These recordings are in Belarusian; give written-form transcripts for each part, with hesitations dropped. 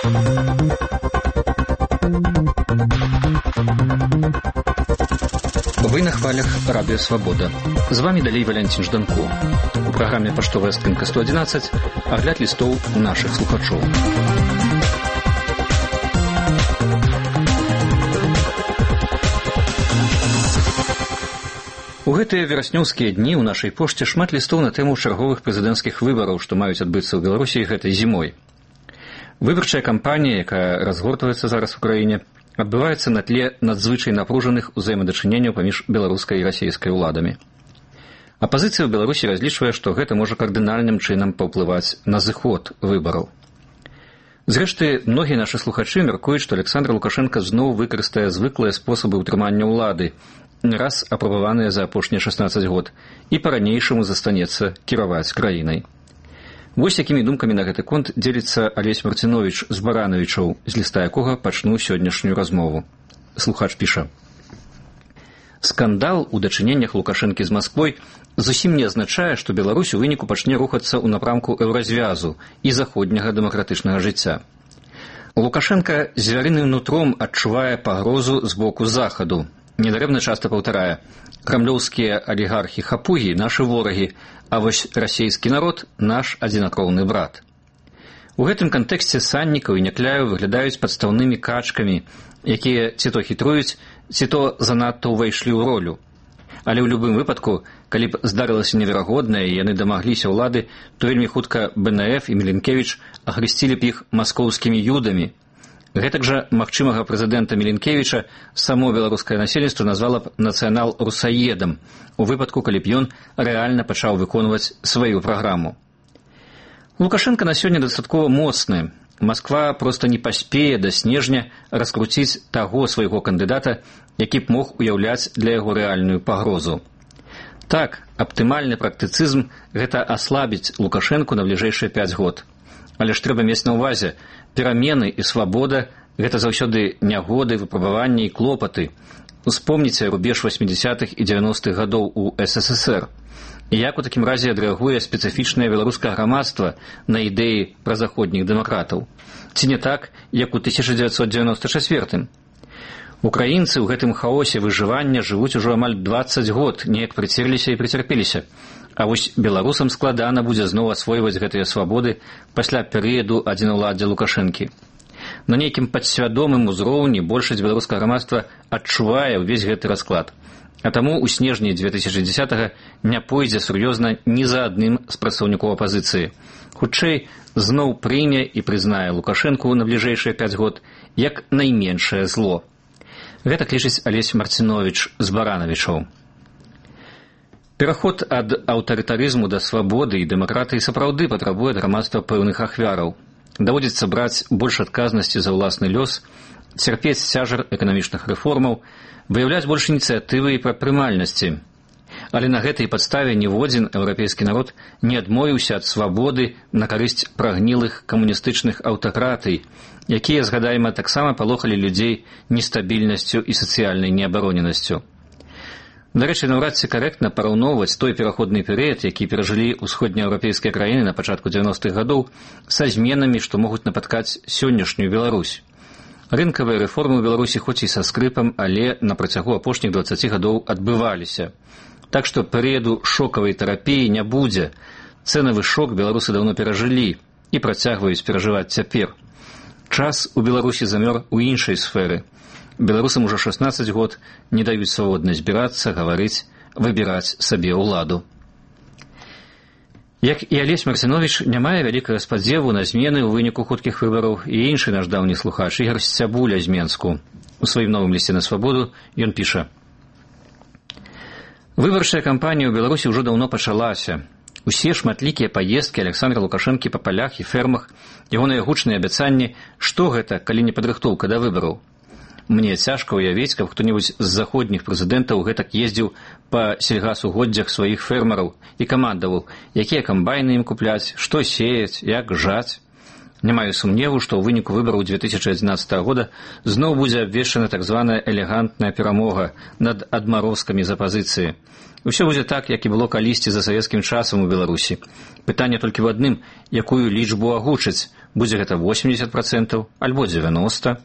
Вы на хвалях Радио Свобода. З вами далей Валянцін Жданко. У праграме «Паштовая скрынка 111» агляд лістоў нашых слухачоў. У гэтыя вераснёўскія дні ў нашай пошце шмат лістоў на тэму чарговых прэзідэнцкіх выбараў, што маюць адбыцца ў Беларусі гэтай зімой. Выбарчая кампанія, якая разгортваецца зараз у краіне, адбываецца на тле надзвычай напружаных узаемадачыненняў паміж беларускай і расійскай уладамі. Апазіцыя ў Беларусі разлічвае, што гэта можа кардынальным чынам паўплываць на зыход выбараў. Зрэшты, многія нашы слухачы мяркуюць, што Александр Лукашенко зноў выкарыстае звыклыя спосабы ўтрымання ўлады, не раз апрабаваныя за апошнія 16 год, і па-ранейшаму застанецца кіраваць краінай. Вось якімі думкамі на гэты конт дзеліцца Алесь Марцинович з Барановичаў, з ліста якога пачну сённяшнюю размову. Слухач піша: «Скандал у дачыненнях Лукашэнкі з Масквой зусім не азначае, што Беларусь у выніку пачне рухацца ў напрамку еўразвязу і заходняга дэмакратычнага жыцця. Лукашенко звярыным нутром адчувае пагрозу з боку захаду. Недарэмна часта паўтарае: крамлёўскія алігархі-хапугі – нашы ворагі, а вось расійскі народ – наш адзінакроўны брат. У гэтым кантэксце Саннікаў і Някляеў выглядаюць падстаўнымі качкамі, якія ці то хітруюць, ці то занадта ўвайшлі ў ролю. Але ў любым выпадку, калі б здарылася неверагоднае і яны дамагліся ўлады, то вельмі хутка БНФ і Міленкевіч ахрысцілі б іх маскоўскімі юдамі. Гэтак жа магчымага прэзідэнта Міленкевіча само беларускае насельніцтва назвала б нацыянал-русаедам, у выпадку, калі б ён рэальна пачаў выконваць сваю праграму. Лукашенко на сёння дастаткова моцны. Масква проста не паспее да снежня раскруціць таго свайго кандыдата, які б мог уяўляць для яго рэальную пагрозу. Так, аптымальны практыцызм – гэта аслабіць Лукашенку на бліжэйшыя 5 год. Але ж трэба мець на ўвазе, перамены і свабода – гэта заўсёды нягоды, выпрабаванні і клопаты. Успомніце рубеж 80-х і 90-х гадоў у СССР. І як у такім разе адрэагуе спецыфічнае беларускае грамадства на ідэі празаходніх дэмакратаў? Ці не так, як у 1994-м? Украінцы ў гэтым хаосе выжывання жывуць ужо амаль 20 год, неяк прыцерліся і прыцярпеліся. А вось беларусам складана будзе зноў асвойваць гэтыя свабоды пасля перыяду адзінаўладдзя Лукашэнкі. На нейкім падсвядомым узроўні большасць беларускага грамадства адчувае ўвесь гэты расклад. А таму ў снежні 2010-го не пойдзе сур'ёзна ні за адным з прадстаўнікоў апазіцыі. Хутчэй, зноў прыме і прызнае Лукашэнку на бліжэйшыя 5 год як найменшае зло. Гэта лічыць Алесь Марцинович з Барановичаў. Пераход ад аўтарытарызму да свабоды і дэмакратыі сапраўды патрабуе ад грамадства пэўных ахвяраў. Даводзіцца браць больш адказнасці за ўласны лёс, цярпець цяжар эканамічных рэформаў, выяўляць больш ініцыятывы і прадпрымальнасці. Але на гэтай падставе ніводзін еўрапейскі народ не адмовіўся ад свабоды на карысць прагнілых камуністычных аўтакратый, якія, згадайма, таксама палохалі людзей нестабільнасцю і сацыяльнай неабароненасцю. Дарэчы, наўрад ці карэктна параўноўваць той пераходны перыяд, які перажылі ўсходнееўрапейскія краіны на пачатку 90-х гадоў, са зменамі, што могуць напаткаць сённяшнюю Беларусь. Рынкавыя рэформы ў Беларусі хоць і са скрыпам, але на працягу апошніх 20 гадоў адбываліся. Так што перыяду шокавай тэрапіі не будзе. Цэнавы шок беларусы даўно перажылі і працягваюць перажываць цяпер. Час у Беларусі замёр у іншай сферы. Беларусам ужо 16 год не даюць свабодна збірацца, гаварыць, выбіраць сабе ўладу. Як і Алесь Марцинович, не мае вялікага спадзеву на змены ў выніку хуткіх выбараў і іншы наш даўні слухач Ігор Сцябуля з Менску. У сваім новым лісце на свабоду ён піша: «Выбарчая кампанія ў Беларусі ўжо даўно пачалася. Усе шматлікія паездкі Александра Лукашэнкі па палях і фермах, ягоныя гучныя абяцанні, што гэта, калі не падрыхтоўка да выбараў? Мне цяжка ўявіць, каб хто-небудзь з заходніх прэзідэнтаў гэтак ездзіў па сельгасугоддзях сваіх фермераў і камандаваў, якія камбайны ім купляць, што сеяць, як жаць. Не маю сумневу, што ў выніку выбараў 2011 года зноў будзе абвешчана так званая элегантная перамога над адмарозкамі з апазіцыі. Усё будзе так, як і было калісьці за савецкім часам у Беларусі. Пытанне толькі ў адным, якую лічбу агучыць, будзе гэта 80%, альбо 90%.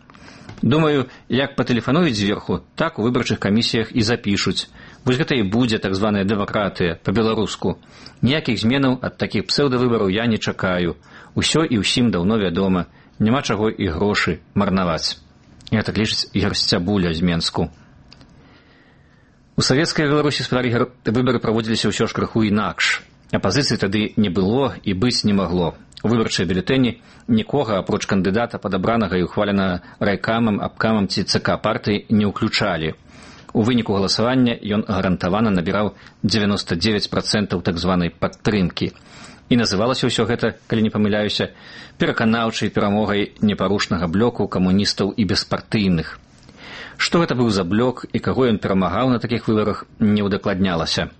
Думаю, як патэлефануюць зверху, так у выбарчых камісіях і запішуць. Вось гэта і будзе так званая дэмакратыя па-беларуску. Ніякіх зменаў ад такіх псеўдавыбараў я не чакаю. Усё і ўсім даўно вядома. Няма чаго і грошы марнаваць. Я так лічыць Ігор Сцябуля з Менску. У савецкай Беларусі выбары праводзіліся ўсё ж крыху інакш. Апазіцыі тады не было і быць не магло. У выбарчыя бюлетэні нікога, апроч кандыдата падабранага і ухваленага райкамам, абкамам ці ЦК партыі не ўключалі. У выніку галасавання ён гарантавана набіраў 99% так званай падтрымкі. І называлася ўсё гэта, калі не памыляюся, пераканаўчай перамогай непарушнага блоку камуністаў і беспартыйных. Што гэта быў за блок і каго ён перамагаў на такіх выбарах, не ўдакладнялася.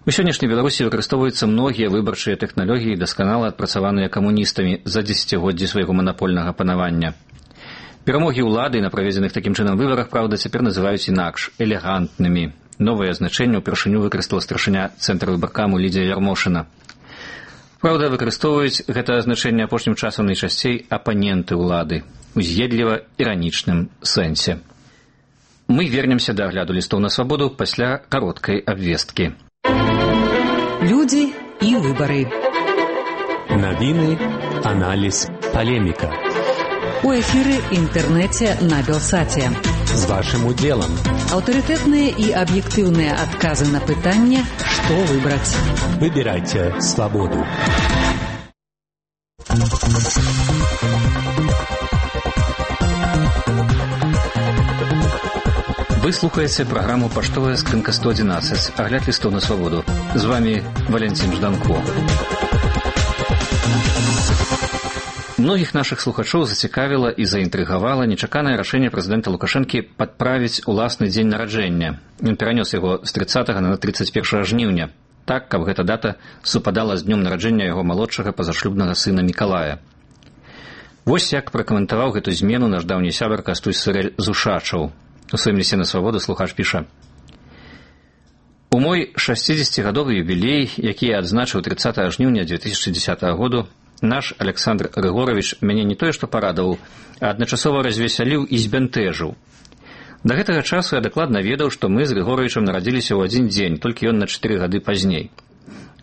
У сённяшняй Беларусі выкарыстоўваюцца многія выбарчыя тэхналогіі, дасканала адпрацаваныя камуністамі за дзесяцігоддзі свайго манапольнага панавання. Перамогі ўлады на праведзеных такім чынам выбарах, праўда, цяпер называюць інакш – элегантнымі. Новае значэнне ўпершыню выкарыстала старшыня цэнтра выбаркаму Лідзія Ярмошына. Праўда, выкарыстоўваюць гэта значэнне апошнім часам найчасцей апаненты ўлады у з'едліва-іранічным сэнсе. Мы вернемся да агляду лістоў на свабоду пасля кароткай абвесткі. Люди и выборы. Новины, анализ, полемика. У эфире интернете на Белсате. С вашим уделом. Авторитетные и объективные отказы на пытание, что выбрать. Выбирайте свободу. Вы слухаеце праграму «Паштовая скрынка 111», агляд лістоў на свабоду. З вами Валентин Жданко. Многіх нашых слухачоў зацікавіла і заінтрыгавала нечаканае рашэнне прэзідэнта Лукашэнкі падправіць уласны дзень нараджэння. Ён перанёс яго з 30 на 31 жніўня, так, каб гэта дата супадала з днём нараджэння яго малодшага пазашлюбнага сына Мікалая. Вось як пракаментаваў гэту змену наш даўні сябар Кастусь Сырэль з Ушачаў. У сваім лісце на свабоду слухач піша: «У мой 60-гадовы юбілей, які я адзначыў 30 жніўня 2010 году, наш Александр Григорович мяне не тое што парадаваў, а адначасова развесяліў і збянтэжыў. Да гэтага часу я дакладна ведаў, што мы з Григоровичам нарадзіліся ў адзін дзень, толькі ён на 4 гады пазней.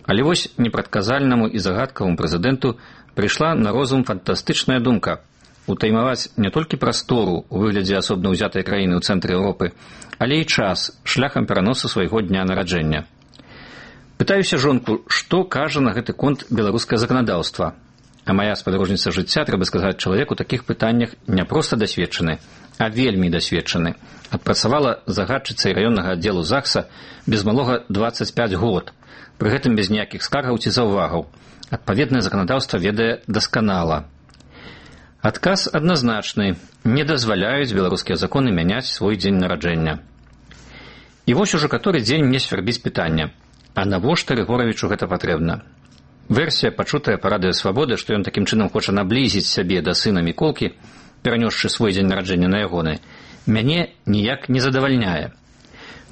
Але вось непрадказальнаму і загадкаваму прэзідэнту прыйшла на розум фантастычная думка утаймаваць не толькі прастору ў выглядзе асобна ўзятай краіны ў цэнтры Еўропы, але і час шляхам пераносу свайго дня нараджэння. Пытаюся жонку, што кажа на гэты конт беларускае заканадаўства. А моя спадарожніца жыцця, трэба сказаць, чалавек у такіх пытаннях не проста дасведчаны, а вельмі дасведчаны. Адпрацавала загадчыцай раённага аддзелу ЗАГСа без малога 25 год, пры гэтым без ніякіх скаргаў ці заўвагаў. Адпаведнае заканадаўства ведае дасканала. Адказ адназначны. Не дазваляюць беларускія законы мяняць свой дзень нараджэння. І вось ужо каторы дзень мне свярбіць пытанне. А навошта Рыгоравічу гэта патрэбна? Версія, пачутая па радыё Свабода, што ён такім чынам хоча наблізіць сябе да сына Міколкі, перанёсшы свой дзень нараджэння на ягоны, мяне ніяк не задавальняе.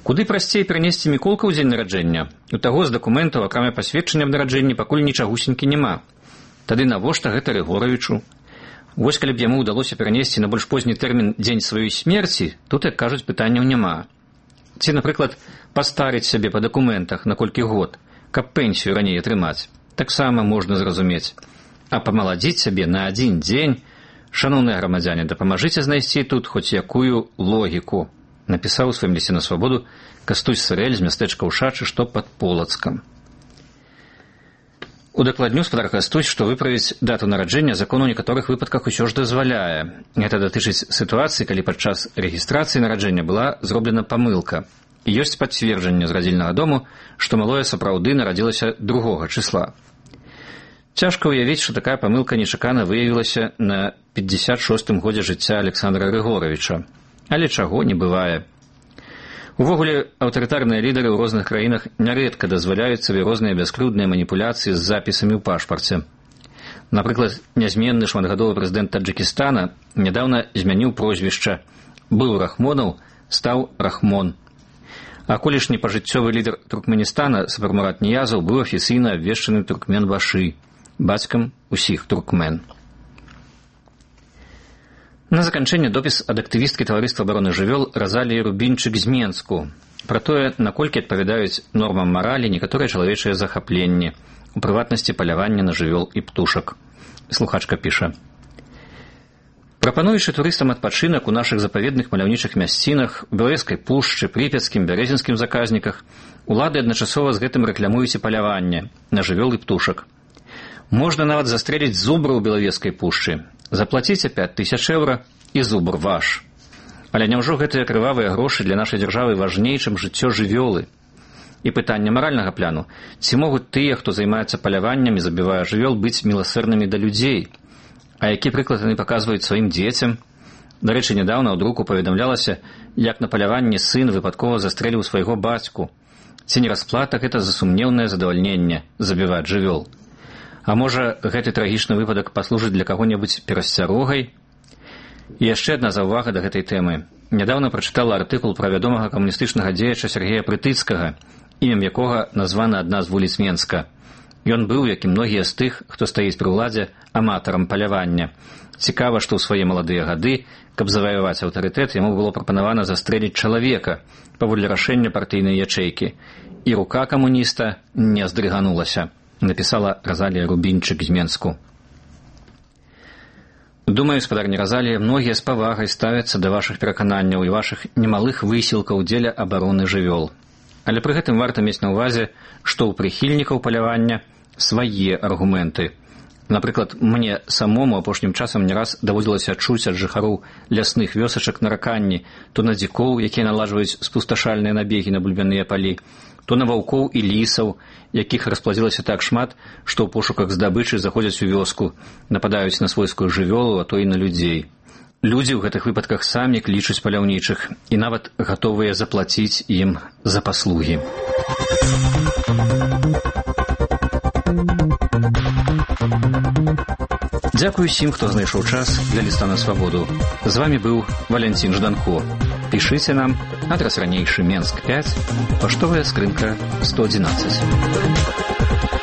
Куды прасцей перанесці Міколка ў дзень нараджэння? У таго з дакументаў, акрамя пасведчання аб нараджэнні, пакуль нічагусенькі няма. Тады навошта гэта Рыгоравічу? Вось калі б яму ўдалося перанесці на больш позні тэрмін дзень сваёй смерці, тут, як кажуць, пытанняў няма. Ці, напрыклад, пастарыць сябе па дакументах на колькі год, каб пенсію раней атрымаць, таксама можна зразумець. А памаладзіць сябе на адзін дзень, шаноўныя грамадзяне, дапамажыце знайсці тут хоць якую логіку, напісаў у сваім лісце на свабоду Кастусь Сырэль з мястэчка Ушачы, што пад Полацкам. Удакладню спадар Кастусь, што выправіць дату нараджэння закон у некаторых выпадках усё ж дазваляе. Гэта датычыць сітуацыі, калі падчас рэгістрацыі нараджэння была зроблена памылка. І ёсць пацверджанне з радзільнага дому, што малое сапраўды нарадзілася 2 числа. Цяжка ўявіць, што такая памылка нечакана выявілася на 56-м годзе жыцця Александра Григоровича. Але чаго не бывае. Увогуле, аўтарытарныя лідары ў розных краінах нярэдка дазваляюць сабе розныя бяскрыўдныя маніпуляцыі з запісамі ў пашпарце. Напрыклад, нязменны шматгадовы прэзідэнт Таджыкістана нядаўна змяніў прозвішча. Быў Рахмонаў, стаў Рахмон. А колішні пажыццёвы лідар Туркменістана Сапармурат Ніязаў быў афіцыйна абвешчаны Туркмен-Башы, бацькам усіх туркмен. На заканчэнне допіс ад актывісткі таварыства абароны жывёл Разаліі Рубінчык з Менску пра тое, наколькі адпавядаюць нормам маралі некаторыя чалавечыя захапленні, у прыватнасці палявання на жывёл і птушак. Слухачка піша: прапануючы турыстам адпачынак у нашых запаведных маляўнічых мясцінах, у Белавежскай пушчы, Прыпяцкім, Бярэзінскім заказніках, улады адначасова з гэтым рэкламуюць і паляванне на жывёл і птушак. Можна нават застрэліць зубра ў Белавежскай пушчы. Заплаціце 5000 еўра і зубр ваш. Але няўжо гэтыя крывавыя грошы для нашай дзяржавы важней, чым жыццё жывёлы? І пытанне маральнага пляну: ці могуць тыя, хто займаецца паляваннем і забівае жывёл, быць міласэрнымі да людзей? А які прыклад яны паказваюць сваім дзецям? Дарэчы, нядаўна ў друку паведамлялася, як на паляванні сын выпадкова застрэліў свайго бацьку. Ці не расплата гэта за сумнеўнае задавальненне забіваць жывёл? А можа, гэты трагічны выпадак паслужыць для каго-небудзь перасцярогай? І яшчэ адна заўвага да гэтай тэмы. Нядаўна прачытала артыкул пра вядомага камуністычнага дзеяча Сергея Прытыцкага, імем якога названа адна з вуліц Менска. Ён быў, як і многія з тых, хто стаіць пры ўладзе, аматарам палявання. Цікава, што ў свае маладыя гады, каб заваяваць аўтарытэт, яму было прапанавана застрэліць чалавека паводле рашэння партыйнай ячэйкі. І рука камуніста не здрыганулася, напісала Разалія Рубінчык з Менску. Думаю, спадарня Разалія, многія з павагай ставяцца да вашых перакананняў і вашых немалых высілкаў дзеля абароны жывёл. Але пры гэтым варта мець на ўвазе, што ў прыхільнікаў палявання свае аргументы. Напрыклад, мне самому апошнім часам не раз даводзілася чуць ад жыхароў лясных вёсачак нараканні то на дзікоў, якія наладжваюць спусташальныя набегі на бульбяныя палі, то на ваўкоў і лісаў, якіх расплазілася так шмат, што ў пошуках здабычы заходзяць у вёску, нападаюць на свойскую жывёлу, а то і на людзей. Людзі ў гэтых выпадках самі клічуць паляўнічых і нават гатовыя заплаціць ім за паслугі. Дзякую усім, хто знайшоў час для ліста на свабоду. З вамі быў Валянцін Жданко. Пішыце нам, адрас ранейшы Менск 5, паштовая скрынка 111.